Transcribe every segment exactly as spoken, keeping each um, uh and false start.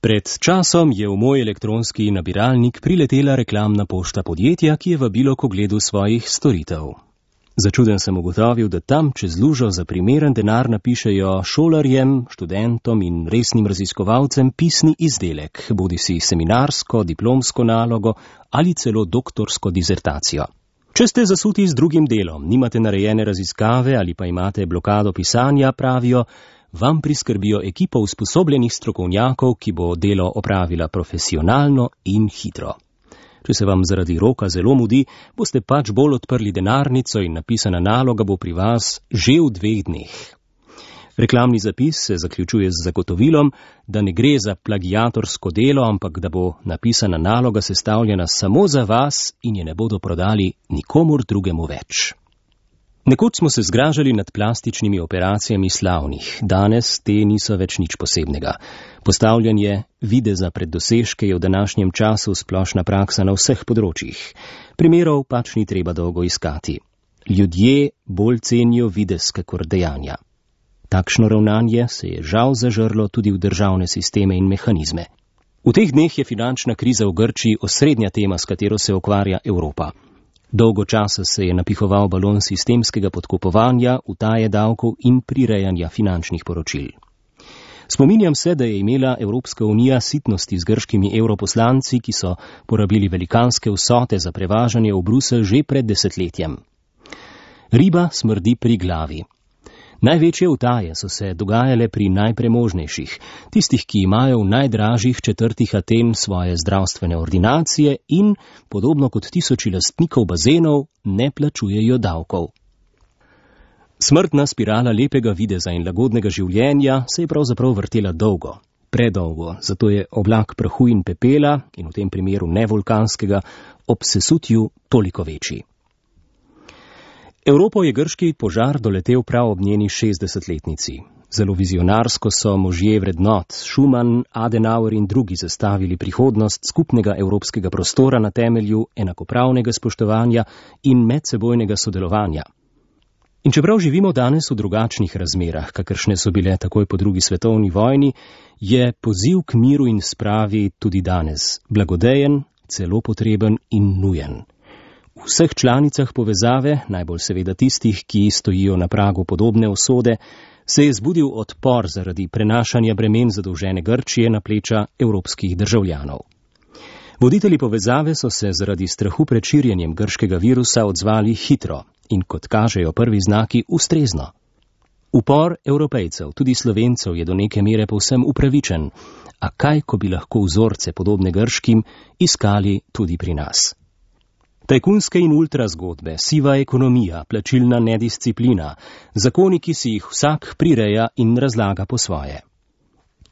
Pred časom je v moj elektronski nabiralnik priletela reklamna pošta podjetja, ki je vabilo k ogledu svojih storitev. Začuden sem ugotovil, da tam čez lužo za primeren denar napišejo šolarjem, študentom in resnim raziskovalcem pisni izdelek, bodisi seminarsko, diplomsko nalogo ali celo doktorsko dizertacijo. Če ste zasuti z drugim delom, nimate narejene raziskave ali pa imate blokado pisanja, pravijo, vam priskrbijo ekipo usposobljenih strokovnjakov, ki bo delo opravila profesionalno in hitro. Če se vam zaradi roka zelo mudi, boste pač bolj odprli denarnico in napisana naloga bo pri vas že v dveh dneh. Reklamni zapis se zaključuje z zagotovilom, da ne gre za plagiatorsko delo, ampak da bo napisana naloga sestavljena samo za vas in je ne bodo prodali nikomur drugemu več. Nekoč smo se zgražali nad plastičnimi operacijami slavnih, danes te niso več nič posebnega. Postavljanje videza pred dosežke je v današnjem času splošna praksa na vseh področjih. Primerov pač ni treba dolgo iskati. Ljudje bolj cenijo videz kakor dejanja. Takšno ravnanje se je žal zažrlo tudi v državne sisteme in mehanizme. V teh dneh je finančna kriza v Grčiji osrednja tema, s katero se ukvarja Evropa. Dolgo časa se je napihoval balon sistemskega podkupovanja, utaje davkov in prirejanja finančnih poročil. Spominjam se, da je imela Evropska unija sitnosti z grškimi evroposlanci, ki so porabili velikanske vsote za prevažanje v Bruselj že pred desetletjem. Riba smrdi pri glavi. Največje utaje so se dogajale pri najpremožnejših, tistih, ki imajo v najdražjih četrtih Aten svoje zdravstvene ordinacije in, podobno kot tisoči lastnikov bazenov, ne plačujejo davkov. Smrtna spirala lepega videza in lagodnega življenja se je pravzaprav vrtela dolgo, predolgo, zato je oblak prahu in pepela, in v tem primeru ne vulkanskega, ob sesutju toliko večji. Evropo je grški požar doletel prav ob njeni šestdesetletnici. Zelo vizionarsko so možje vrednot, Schumann, Adenauer in drugi zastavili prihodnost skupnega evropskega prostora na temelju enakopravnega spoštovanja in medsebojnega sodelovanja. In čeprav živimo danes v drugačnih razmerah, kakršne so bile takoj po drugi svetovni vojni, je poziv k miru in spravi tudi danes blagodejen, celo potreben in nujen. V vseh članicah povezave, najbolj seveda tistih, ki stojijo na pragu podobne usode, se je zbudil odpor zaradi prenašanja bremen zadolžene Grčije na pleča evropskih državljanov. Voditelji povezave so se zaradi strahu pred širjenjem grškega virusa odzvali hitro in, kot kažejo prvi znaki, ustrezno. Upor Evropejcev, tudi Slovencev, je do neke mere povsem upravičen, a kaj, ko bi lahko vzorce podobne grškim iskali tudi pri nas. Tajkunske in ultra zgodbe, siva ekonomija, plačilna nedisciplina, zakoni, ki si jih vsak prireja in razlaga po svoje.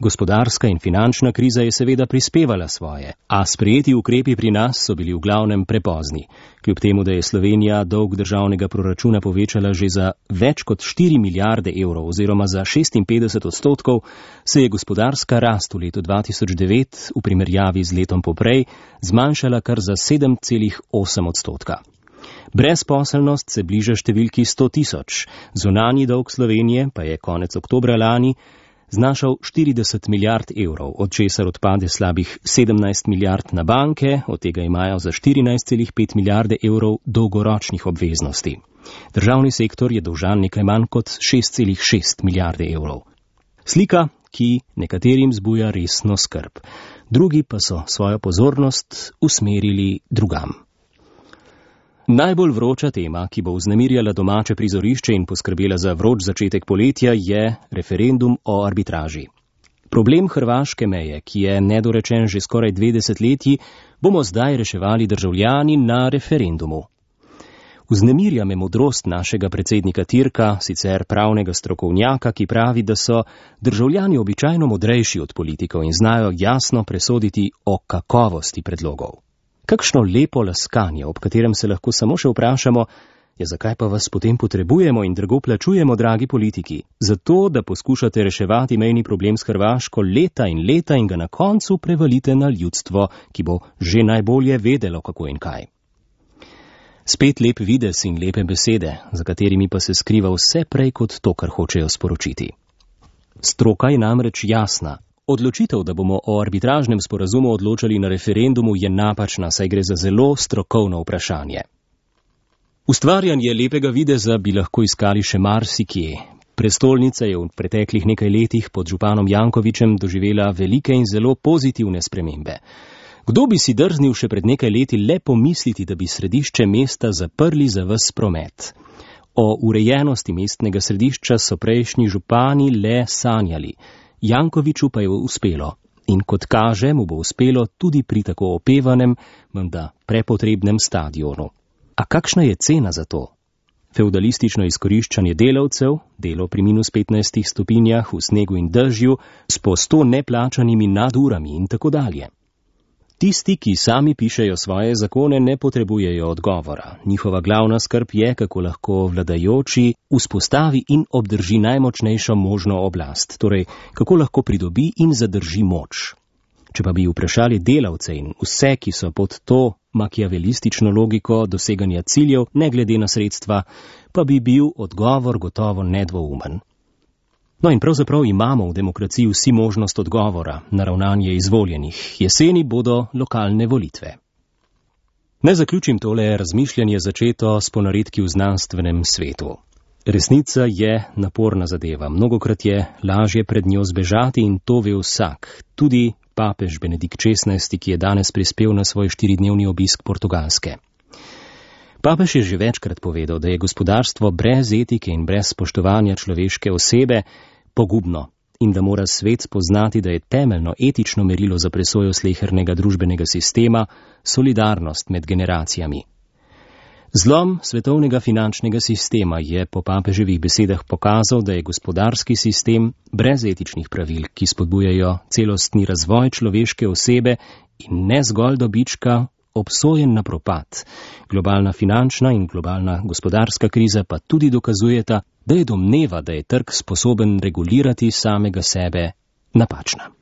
Gospodarska in finančna kriza je seveda prispevala svoje, a sprejeti ukrepi pri nas so bili v glavnem prepozni. Kljub temu, da je Slovenija dolg državnega proračuna povečala že za več kot štiri milijarde evrov oziroma za šestinpetdeset odstotkov, se je gospodarska rast v letu dva tisoč devet v primerjavi z letom poprej zmanjšala kar za sedem celih osem odstotka. Brezposelnost se bliža številki sto tisoč, zunanji dolg Slovenije pa je konec oktobra lani znašal štirideset milijard evrov, od česar odpade slabih sedemnajst milijard na banke, od tega imajo za štirinajst celih pet milijarde evrov dolgoročnih obveznosti. Državni sektor je dolžan nekaj manj kot šest celih šest milijarde evrov. Slika, ki nekaterim zbuja resno skrb, drugi pa so svojo pozornost usmerili drugam. Najbolj vroča tema, ki bo vznemirjala domače prizorišče in poskrbela za vroč začetek poletja, je referendum o arbitraži. Problem hrvaške meje, ki je nedorečen že skoraj dve desetletji, bomo zdaj reševali državljani na referendumu. Vznemirja me modrost našega predsednika Tirka, sicer pravnega strokovnjaka, ki pravi, da so državljani običajno modrejši od politikov in znajo jasno presoditi o kakovosti predlogov. Kakšno lepo laskanje, ob katerem se lahko samo še vprašamo, je zakaj pa vas potem potrebujemo in drago plačujemo, dragi politiki? Zato, da poskušate reševati mejni problem s Hrvaško leta in leta in ga na koncu prevalite na ljudstvo, ki bo že najbolje vedelo, kako in kaj. Spet lep videz in lepe besede, za katerimi pa se skriva vse prej kot to, kar hočejo sporočiti. Stroka je namreč jasna. Odločitev, da bomo o arbitražnem sporazumu odločali na referendumu, je napačna, saj gre za zelo strokovno vprašanje. Ustvarjanje lepega videza bi lahko iskali še marsikje. Prestolnica je v preteklih nekaj letih pod županom Jankovićem doživela velike in zelo pozitivne spremembe. Kdo bi si drznil še pred nekaj leti le pomisliti, da bi središče mesta zaprli za ves promet? O urejenosti mestnega središča so prejšnji župani le sanjali. Jankoviću pa je uspelo. In kot kaže, mu bo uspelo tudi pri tako opevanem, menda prepotrebnem stadionu. A kakšna je cena za to? Feudalistično izkoriščanje delavcev, delo pri minus petnajstih stopinjah v snegu in dežju, s po sto neplačanimi nadurami in tako dalje. Tisti, ki sami pišejo svoje zakone, ne potrebujejo odgovora. Njihova glavna skrb je, kako lahko vladajoči vzpostavi in obdrži najmočnejšo možno oblast, torej kako lahko pridobi in zadrži moč. Če pa bi vprašali delavce in vse, ki so pod to makiavelistično logiko doseganja ciljev, ne glede na sredstva, pa bi bil odgovor gotovo nedvoumen. No in pravzaprav imamo v demokraciji vsi možnost odgovora na ravnanje izvoljenih. Jeseni bodo lokalne volitve. Naj zaključim tole razmišljanje začeto s ponaredki v znanstvenem svetu. Resnica je naporna zadeva. Mnogokrat je lažje pred njo zbežati in to ve vsak. Tudi papež Benedikt šestnajsti, ki je danes prispel na svoj štiridnevni obisk Portugalske. Papež je že večkrat povedal, da je gospodarstvo brez etike in brez spoštovanja človeške osebe pogubno in da mora svet spoznati, da je temeljno etično merilo za presojo slehernega družbenega sistema solidarnost med generacijami. Zlom svetovnega finančnega sistema je po papeževih besedah pokazal, da je gospodarski sistem brez etičnih pravil, ki spodbujajo celostni razvoj človeške osebe in ne zgolj dobička, obsojen na propad. Globalna finančna in globalna gospodarska kriza pa tudi dokazujeta, da je domneva, da je trg sposoben regulirati samega sebe, napačna.